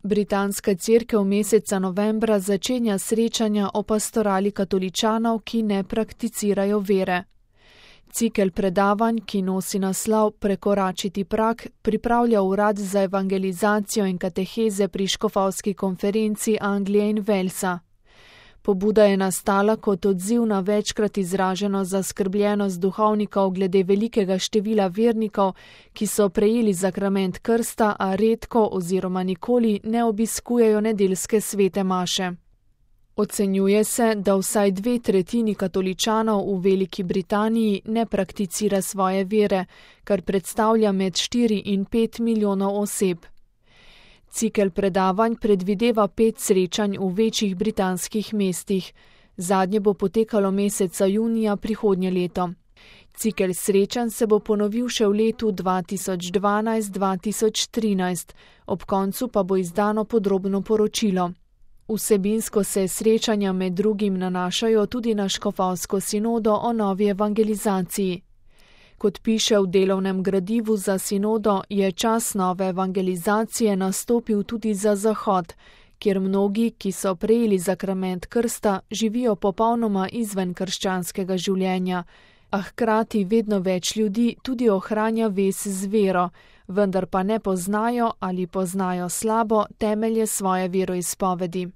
Britanska cerkev meseca novembra začenja srečanja o pastorali katoličanov, ki ne prakticirajo vere. Cikel predavanj, ki nosi naslov Prekoračiti prag, pripravlja Urad za evangelizacijo in kateheze pri škofovski konferenci Anglije in Walesa. Pobuda je nastala kot odziv na večkrat izraženo zaskrbljenost duhovnikov glede velikega števila vernikov, ki so prejeli zakrament krsta, a redko oziroma nikoli ne obiskujejo nedeljske svete maše. Ocenjuje se, da vsaj 2/3 katoličanov v Veliki Britaniji ne prakticira svoje vere, kar predstavlja med 4 in 5 milijonov oseb. Cikel predavanj predvideva 5 srečanj v večjih britanskih mestih. Zadnje bo potekalo meseca junija prihodnje leto. Cikel srečanj se bo ponovil še v letu 2012-2013, ob koncu pa bo izdano podrobno poročilo. Vsebinsko se srečanja med drugim nanašajo tudi na škofovsko sinodo o novi evangelizaciji. Kot piše v delovnem gradivu za sinodo, je čas nove evangelizacije nastopil tudi za Zahod, kjer mnogi, ki so prejeli zakrament krsta, živijo popolnoma izven krščanskega življenja, a hkrati vedno več ljudi tudi ohranja vez z vero, vendar pa ne poznajo ali poznajo slabo temelje svoje veroizpovedi.